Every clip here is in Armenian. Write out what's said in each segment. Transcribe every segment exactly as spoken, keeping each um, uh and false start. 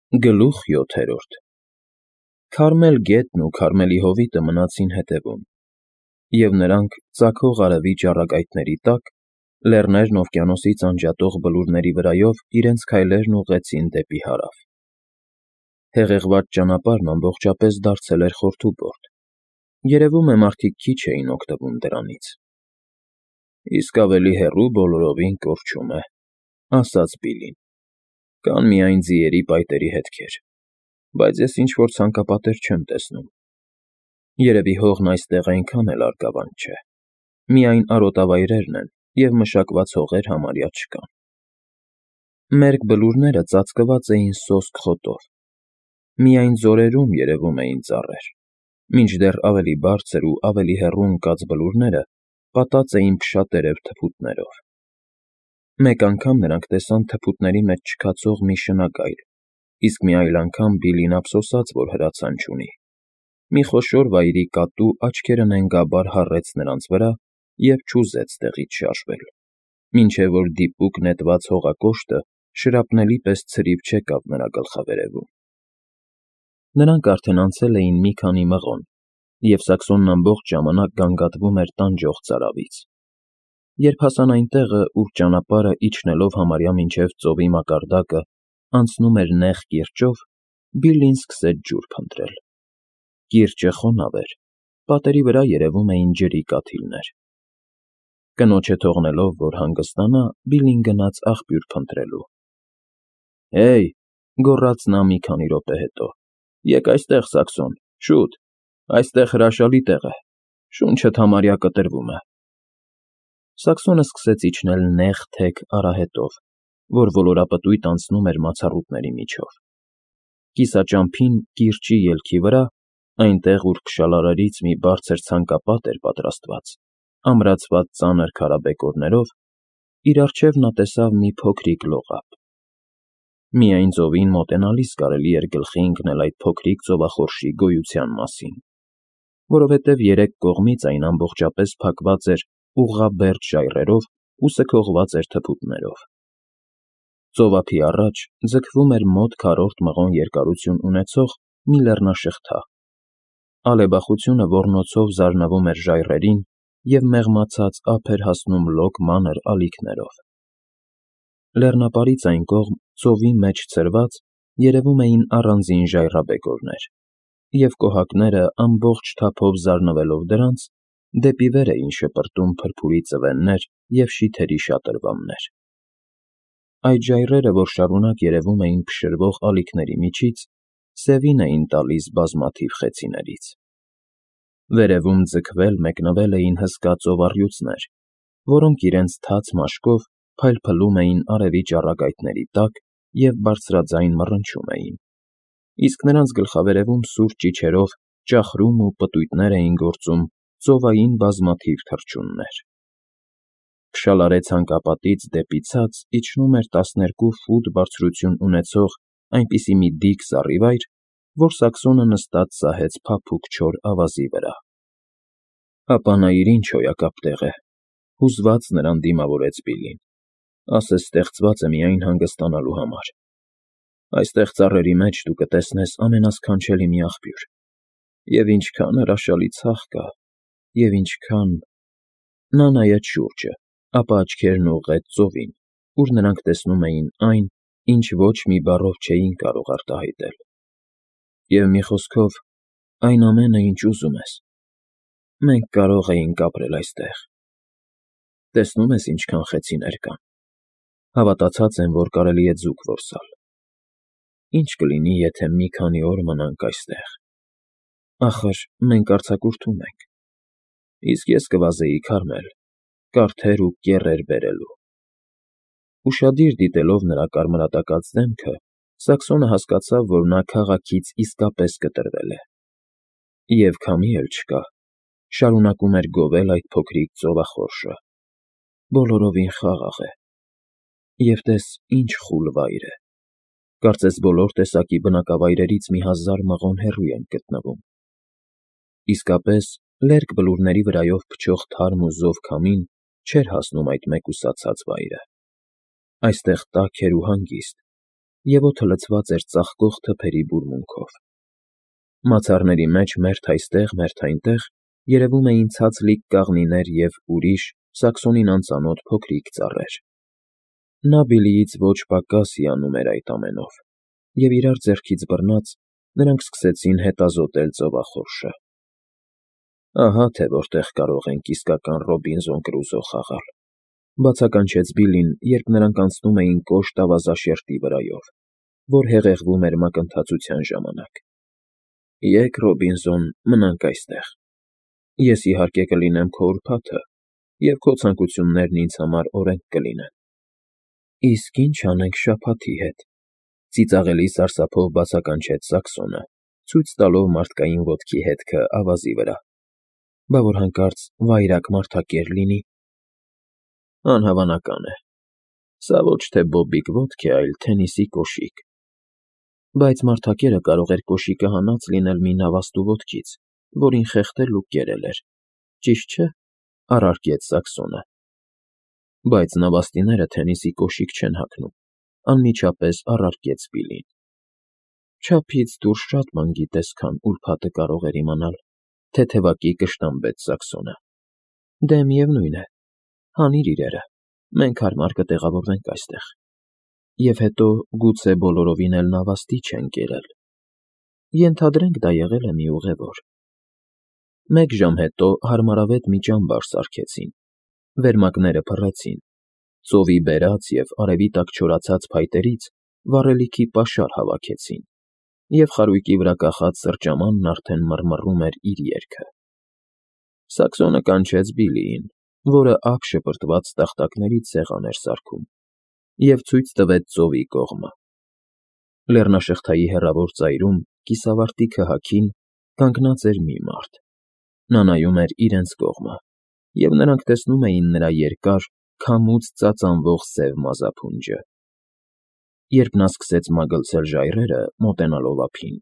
Գլուխ յոթերորդ Քարմել գետն ու Քարմելի հովիտը մնացին հետևում, և նրանք ծագող արևի ճառագայթների տակ, լեռներն օվկիանոսից անջատող բլուրների վրայով իրենց քայլերն ուղղեցին դեպի հարավ. հեղեղված ճանապարհն ամբողջապես դարձել էր խորթուբորդ, երևում է մարդիկ քիչ էին օգտվում դրանից։ Իսկ ավելի հեռու բոլորովին կորչում է, ասաց Բիլլին, կան միայն ձիերի պայտերի հետքեր, բայց ես ինչ-որ ցանկապատեր չեմ տեսնում։ Երևի հողն այստեղ այնքան էլ արգավանդ չէ, միայն արոտավայրերն են և մշակված հողեր համարյա չկան։ Մերկ բլուրները ծածկված էին սոսկ խոտով, միայն ձորերում երևում էին ծառեր, մինչդեռ ավելի բարձր ու ավելի հեռու ընկած բլուրները պատած էին փշատերև թփուտներով։ Մեկ անգամ նրանք տեսան թփուտների մեջ չքացող մի շնագայլ, իսկ մի այլ անգամ Բիլլին ափսոսաց, որ հրացան չունի։ Մի խոշոր վայրի կատու աչքերը նենգաբար հառեց նրանց վրա և չուզեց տեղից շարժվել, մինչև որ դիպուկ նետված հողակոշտը շրապնելի պես ցրիվ չեկավ նրա գլխավերևում։ Նրանք արդեն անցել էին մի քանի մղոն, և Սաքսոնն ամբողջ ժամանակ գանգատվում էր տանջող ծարավից։ Երբ հասան այն տեղը, ուր ճանապարհը, իջնելով համարյա մինչև ծովի մակարդակը, անցնում էր նեղ կիրճով, Բիլլին սկսեց ջուր փնտրել։ Կիրճը խոնավ էր, պատերի վրա երևում էին ջրի կաթիլներ։ Կնոջը թողնելով, որ հանգստանա, Բիլլին գնաց աղբյուր փնտրելու։ Հեյ,֊ գոռաց նա մի քանի րոպե հետո,֊ եկ այստեղ, Սաքսոն, շուտ, այստեղ հրաշալի տեղ է, շունչդ համարյա կտրվում է։ Սաքսոնը սկսեց իջնել նեղ թեք արահետով, որ ոլորապտույտ անցնում էր մացառուտների միջով։ Կիսաճամփին կիրճի ելքի վրա, այնտեղ, ուր փշալարերից մի բարձր ցանկապատ էր պատրաստված, ամրացված ծանր քարաբեկորներով, իր առջև նա տեսավ մի փոքրիկ լողափ։ Միայն ծովին մոտենալիս կարելի էր գլխի ընկնել այդ փոքրիկ ծովախորշի գոյության մասին, որովհետև երեք կողմից այն ամբողջապես փակված էր ուղղաբերդ ժայռերով ու սքողված էր թփուտներով։ Ծովափի առաջ ձգվում էր մոտ քառորդ մղոն երկարություն ունեցող մի լեռնաշղթա, ալեբախությունը ոռնոցով զարնվում էր ժայռերին և մեղմացած ափ էր հասնում լոկ մանր ալիքներով։ Լեռնապարից այն կողմ, ծովի մեջ ցրված, երևում էին առանձին ժայռաբեկորներ, և կոհակները, ամբողջ թափով զարնվելով դրանց, դեպի վեր էին շպրտում փրփուրի ծվեններ և շիթերի շատրվաններ։ Այդ ժայռերը, որ շարունակ երևում էին փշրվող ալիքների միջից, սևին էին տալիս բազմաթիվ խեցիներից։ Վերևում ձգվել մեկնվել էին հսկա ծովառյուծներ, որոնք իրենց թաց մաշկով փայլփլում էին արևի ճառագայթների տակ և բարձրաձայն մռնչում էին, իսկ նրանց գլխավերևում սուր ճիչերով ճախրում ու պտույտներ էին գործում ծովային բազմաթիվ թռչուններ։ Փշալարե ցանկապատից դեպի ցած իջնում էր տասներկու ֆուտ բարձրություն ունեցող այնպիսի մի դիք զառիվայր, որ Սաքսոնը նստած սահեց փափուկ չոր ավազի վրա։ Ապա նայիր ինչ հոյակապ տեղ է,֊ հուզված նրան դիմավորեց Բիլլին,֊ ասես ստեղծված է միայն հանգստանալու համար։ Այստեղ ծառերի մեջ դու կտեսնես ամենասքանչելի մի աղբյուր, և ինչքան հրաշալի ցախ կա, և ինչքան… Նա նայեց շուրջը, ապա աչքերն ուղղեց ծովին, ուր նրանք տեսնում էին այն, ինչ ոչ մի բառով չէին կարող արտահայտել։ Եվ մի խոսքով, այն ամենը, ինչ ուզում ես, մենք կարող էինք ապրել այստեղ։ Տեսնո՞ւմ ես ինչքան խեցիներ կան, հավատացած եմ, որ կարելի է ձուկ որսալ։ Ի՞նչ կլինի, եթե մի քանի օր մնանք այստեղ։ Ախր մենք արձակուրդում ենք, իսկ ես կվազեի Քարմել, կարթեր ու կեռեր բերելու։ Ուշադիր դիտելով նրա կարմրատակած դեմքը, Սաքսոնը հասկացավ, որ նա քաղաքից իսկապես կտրվել է։ Եվ քամի էլ չկա, շարունակում էր գովել այդ փոքրիկ ծովախորշը, բոլորովին խաղաղ է։ Եվ տես ինչ խուլ վայր է, կարծես բոլոր տեսակի բնակավայրերից մի հազար մղոն հեռու ենք գտնվում։ Իսկապես, լերկ բլուրների վրայով փչող թարմ ու զով քամին չէր հասնում այդ մեկուսացած վայրը։ Այստեղ տաք էր ու հանգիստ, և օդը լցված էր ծաղկող թփերի բուրմունքով։ Մացառների մեջ մերթ այստեղ, մերթ այնտեղ երևում էին ցածլիկ կաղնիներ և ուրիշ, Սաքսոնին անծանոթ փոքրիկ ծառեր։ Նա Բիլլիից ոչ պակաս հիանում էր այդ ամենով, և իրար ձեռքից բռնած՝ նրանք սկսեցին հետազոտել ծովախորշը։ «Ահա թե որտեղ կարող ենք իսկական Ռոբինզոն Կրուզո խաղալ», բացականչեց Բիլլին, երբ նրանք անցնում էին կոշտ ավազաշերտի վրայով, որ հեղեղվում էր մակընթացության ժամանակ։ «Եկ, Ռոբինզոն, մնանք այստեղ։ Ես, իհարկե, կլինեմ քո ուրբաթը, և քո ցանկություններն ինձ համար օրենք կլինեն»։ «Իսկ ի՞նչ անենք շաբաթի հետ,֊ ծիծաղելի սարսափով բացականչեց Սաքսոնը, ցույց տալով մարդկային ոտքի հետքը ավազի վրա։ Բա որ հանկարծ վայրագ մարդակեր լինի։ Անհավանական է։ Սա ոչ թե բոբիկ ոտք է, այլ թենիսի կոշիկ։ Բայց մարդակերը կարող էր կոշիկը հանած լինել մի նավաստու ոտքից, որին խեղդել ու կերել էր, ճիշտ չէ՞, առարկեց Սաքսոնը։ Բայց նավաստիները թենիսի կոշիկ չեն հագնում,֊ անմիջապես առարկեց Բիլլին։ Չափից դուրս շատ բան գիտես, քան ուրբաթը կարող էր իմանալ,֊ թեթևակի կշտամբեց Սաքսոնը։ Դե միևնույն է, հանիր իրերը, մենք հարմար կտեղավորվենք այստեղ։ Եվ հետո, գուցե բոլորովին էլ նավաստի չեն կերել։ Ենթադրենք դա եղել է մի ուղևոր։ Մեկ ժամ հետո հարմարավետ մի ճամբար սարքեցին, վերմակները փռեցին, ծովի բերած և արևի տակ չորացած փայտերից վառելիքի պաշար հավաքեցին, և խարույկի վրա կախած սրճամանն արդեն մռմռում էր իր երգը։ Սաքսոնը կանչեց Բիլլիին, որը ափ շպրտված տախտակներից սեղան էր սարքում, և ցույց տվեց ծովի կողմը։ Լեռնաշղթայի հեռավոր ծայրում, կիսավարտի քհաքին, կանգնած էր մի մարդ։ Նա նայում էր իրենց կողմը, և նրանք տեսնում էին նրա երկար, քամուց ծածանվող սև մազափունջը։ Երբ նա սկսեց մագլցել ժայռերը, մոտենալով ափին,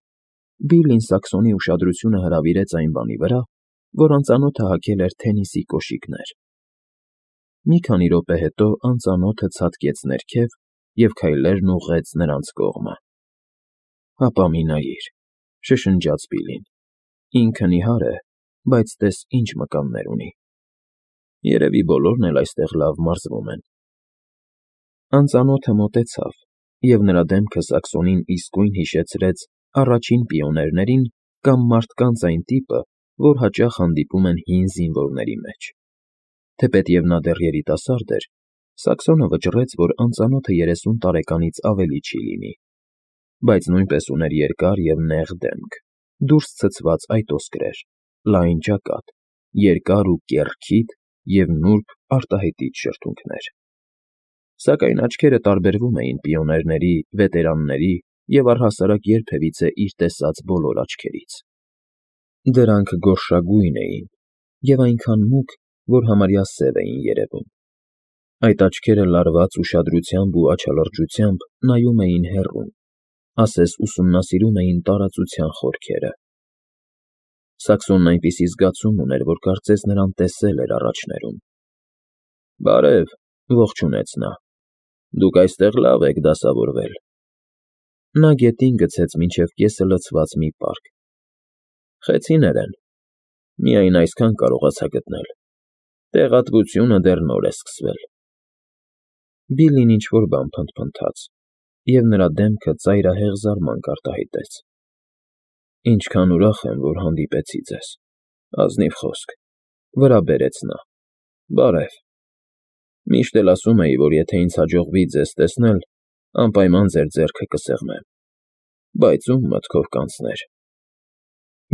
Բիլլին Սաքսոնի ուշադրությունը հրավիրեց այն բանի վրա, որ անծանոթը հագել էր թենիսի կոշիկներ։ Մի քանի րոպե հետո անծանոթը ցատկեց ներքև և քայլերն ուղղեց նրանց կողմը։ Հապա մի նայիր,֊ շշնջաց Բիլլին։ Ինքը նիհար է, բայց տես ինչ մկաններ ունի։ Երևի բոլորն էլ այստեղ լավ մարզվում են։ Անծանոթը մոտեցավ, և նրա դեմքը Սաքսոնին իսկույն հիշեցրեց առաջին պիոներներին կամ մարդկանց այն տիպը, որ հաճախ հանդիպում են հին զինվորների մեջ։ Թեպետև նա դեռ երիտասարդ էր, Սաքսոնը վճռեց, որ անծանոթը երեսուն տարեկանից ավելի չի լինի, բայց նույնպես ուներ երկար և նեղ դեմք, դուրս ցցված այտոսկրեր, լայն ճակատ, երկար ու կեռ քիթ և նուրբ արտահայտիչ շրթունքներ։ Սակայն աչքերը տարբերվում էին պիոներների, վետերանների և առհասարակ երբևիցե իր տեսած բոլոր աչքերից։ Դրանք գորշագույն էին և այնքան մուգ, որ համարյա սև էին երևում։ Այդ աչքերը լարված ուշադրությամբ ու աչալրջությամբ նայում էին հեռուն, ասես ուսումնասիրում էին տարածության խորքերը։ Սաքսոնն այնպիսի զգացում ուներ, որ կարծես նրան տեսել էր առաջներում։ Բարև,֊ ողջունեց նա։ Դուք այստեղ լավ եք դասավորվել։ Նա գետին գցեց մինչև կեսը լցված մի պարկ։ Խեցիներ են։ Միայն այսքան կարողացա գտնել։ Տեղատվությունը դեռ նոր է սկսվել։ Բիլլին ինչ֊որ բան փնթփնթաց, և նրա դեմքը ծայրահեղ զարմանք արտահայտեց։ Ինչքան ուրախ եմ, որ հանդիպեցի ձեզ, ազնիվ խոսք,֊ վրա բերեց նա։ Բարև։ Միշտ էլ ասում էի, որ եթե ինձ հաջողվի ձեզ տեսնել, անպայման ձեր ձեռքը կսեղմեմ, բայց ում մտքով կանցներ։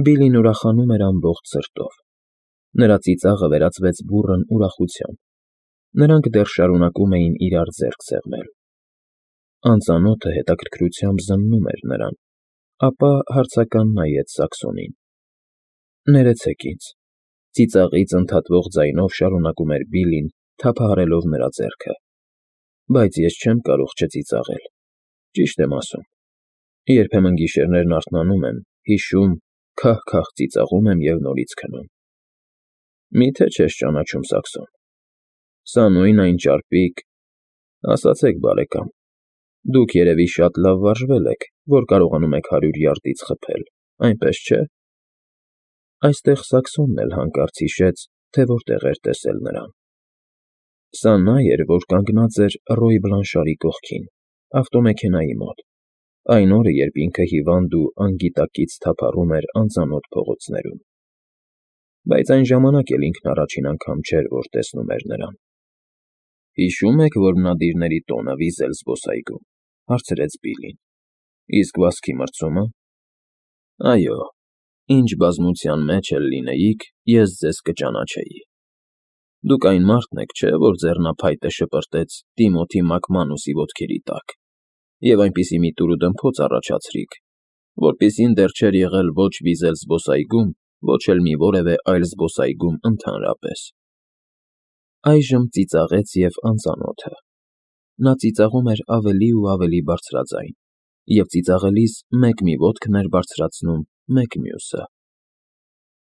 Բիլլին ուրախանում էր ամբողջ սրտով։ Նրա ծիծաղը վերածվեց բուռն ուրախության։ Նրանք դեռ շարունակում էին իրար ձեռք սեղմել։ Անծանոթը հետաքրքրությամբ զննում էր նրան, ապա հարցական նայեց Սաքսոնին։ Ներեցեք ինձ,֊ ծիծաղից ընդհատվող ձայնով շարունակում էր Բիլլին, թափահարելով նրա ձեռքը, բայց ես չեմ կարող չծիծաղել, ճիշտ եմ ասում։ Երբեմն գիշերներն արթնանում եմ, հիշում, քահ֊քահ ծիծաղում եմ և նորից քնում։ Մի՞թե չես ճանաչում, Սաքսոն։ Սա նույն այն ճարպիկ… Ասացեք, բարեկամ, Դուք երևի շատ լավ վարժվել եք, որ կարողանում եք հարյուր յարդից խփել, այնպես չէ՞։ Այստեղ Սաքսոնն էլ հանկարծ հիշեց, թե որտեղ էր տեսել նրան. սա նա էր, որ կանգնած էր Ռոյ Բլանշարի կողքին, ավտոմեքենայի մոտ, այն օրը, երբ ինքը հիվանդ ու անգիտակից թափառում էր անծանոթ փողոցներում, բայց այն ժամանակ էլ ինքն առաջին անգամ չէր, որ տեսնում էր նրան։ Հիշո՞ւմ եք, որ մնադիրների տոնը վիզել զբոսայգում, հարցրեց Բիլլին, իսկ վազքի մրցումը։ Այո, ինչ բազմության մեջ էլ լինեիք, ես ձեզ կճանաչեի։ Դուք այն մարդն եք, չէ՞, որ ձեռնափայտը շպրտեց Տիմոթի Մակմանուսի ոտքերի տակ և այնպիսի մի տուրուդմփոց առաջացրիք, որպիսին դեռ չէր եղել ոչ վիզել զբոսայգում, ոչ էլ մի որևէ այլ զբոսայգում ընդհանրապես։ Այժմ ծիծաղեց և անծանոթը։ Նա ծիծաղում էր ավելի ու ավելի բարձրաձայն, և ծիծաղելիս մեկ մի ոտքն էր բարձրացնում, մեկ մյուսը։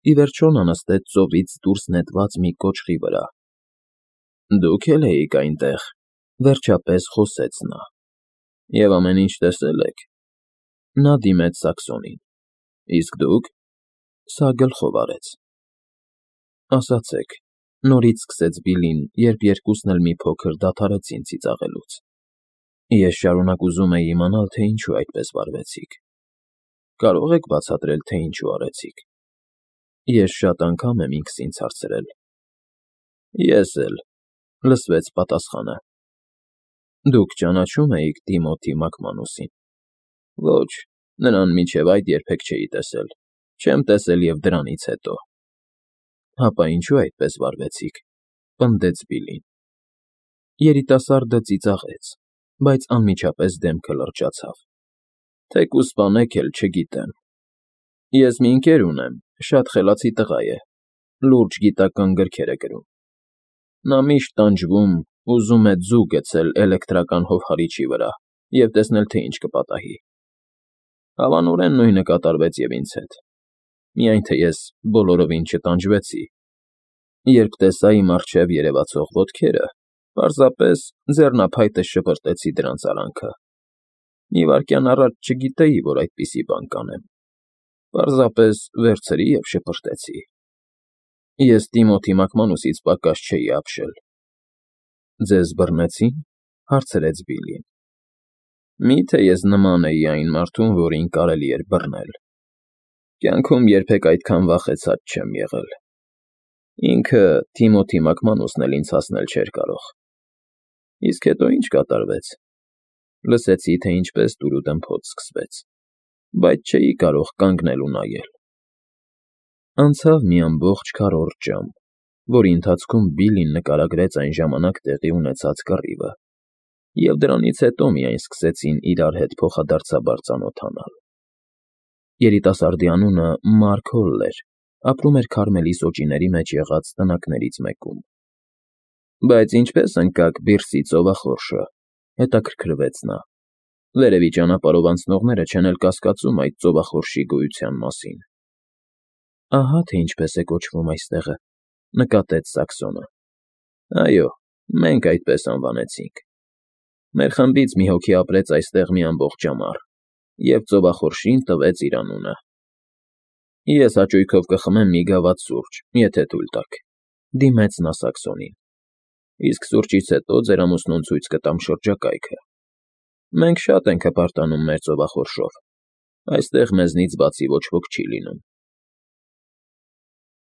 Ի վերջո նա նստեց ծովից դուրս նետված մի կոճղի վրա։ Դուք էլ էիք այնտեղ, վերջապես խոսեց նա, և ամեն ինչ տեսել եք։ Նա դիմեց Սաքսոնին։ Իսկ դուք… Սա գլխով արեց։ Ասացեք, նորից սկսեց Բիլլին, երբ երկուսն էլ մի փոքր դադարեցին ծիծաղելուց։ Ես շարունակ ուզում էի իմանալ, թե ինչու այդպես վարվեցիք։ Կարո՞ղ եք բացատրել, թե ինչու արեցիք։ Ես շատ անգամ եմ ինքս ինձ հարցրել։ Ես էլ, լսվեց պատասխանը։ Դուք ճանաչո՞ւմ էիք Տիմոթի Մակմանուսին։ Ոչ, նրան մինչև այդ երբեք չէի տեսել, չեմ տեսել և դրանից հետո։ Հապա ինչու այդպես վարվեցիք, պնդեց Բիլլին։ Երիտասարդը ծիծաղեց, բայց անմիջապես դեմքը լրջացավ։ Թեկուզ սպանեք էլ, չգիտեմ։ Ես մի ընկեր ունեմ, շատ խելացի տղա է, լուրջ գիտական գրքեր է գրում։ Նա միշտ տանջվում, ուզում է ձու գցել էլեկտրական հովհարիչի վրա և տեսնել, թե ինչ կպատահի։ Հավանորեն նույնը կատարվեց և ինձ հետ, միայն թե ես բոլորովին չտանջվեցի։ Երբ տեսա իմ առջև երևացող ոտքերը, պարզապես ձեռնափայտս շպրտեցի դրանց արանքը։ Մի վայրկյան առաջ չգիտեի, որ այդպիսի բան կանեմ, պարզապես վերցրի և շպրտեցի։ Ես Տիմոթի Մակմանուսից պակաս չէի ապշել։ Ձեզ բռնեցի՞ն, հարցրեց Բիլլին։ Մի՞թե ես նման էի այն մարդուն, որին կարելի էր բռնել։ Կյանքում երբեք այդքան վախեցած չեմ եղել։ Ինքը՝ Տիմոթի Մակմանուսն էլ ինձ հասնել չէր կարող։ Իսկ հետո ինչ կատարվեց։ Լսեցի, թե ինչպես տուրուդմփոց սկսվեց, բայց չէի կարող կանգնել ու նայել։ Անցավ մի ամբողջ քառորդ ժամ, որի ընթացքում Բիլլին նկարագրեց այն ժամանակ տեղի ունեցած կռիվը, և դրանից հետո միայն սկսեցին իրար հետ փոխադարձաբար ծանոթանալ։ Երիտասարդի անունը Մարք Հոլ էր, ապրում էր Քարմելի սոճիների մեջ եղած տնակներից մեկում։ Բայց ինչպե՞ս ընկաք Բիրսի ծովախորշը, հետաքրքրվեց նա։ Վերևի ճանապարհով անցնողները չեն էլ կասկածում այդ ծովախորշի գոյության մասին։ Ահա թե ինչպես է կոչվում այստեղը, նկատեց Սաքսոնը։ Այո, մենք այդպես անվանեցինք։ Մեր խմբից մի հոգի ապրեց այստեղ մի ամբողջ ամառ, և ծովախորշին տվեց իր անունը։ Ես հաճույքով կխմեմ մի գավաթ սուրճ, եթե թույլ տաք, դիմեց նա Սաքսոնին։ Իսկ սուրճից հետո ձեր ամուսնուն ցույց կտամ շրջակայքը։ Մենք շատ ենք հպարտանում մեր ծովախորշով, այստեղ մեզնից բացի ոչ ոք չի լինում։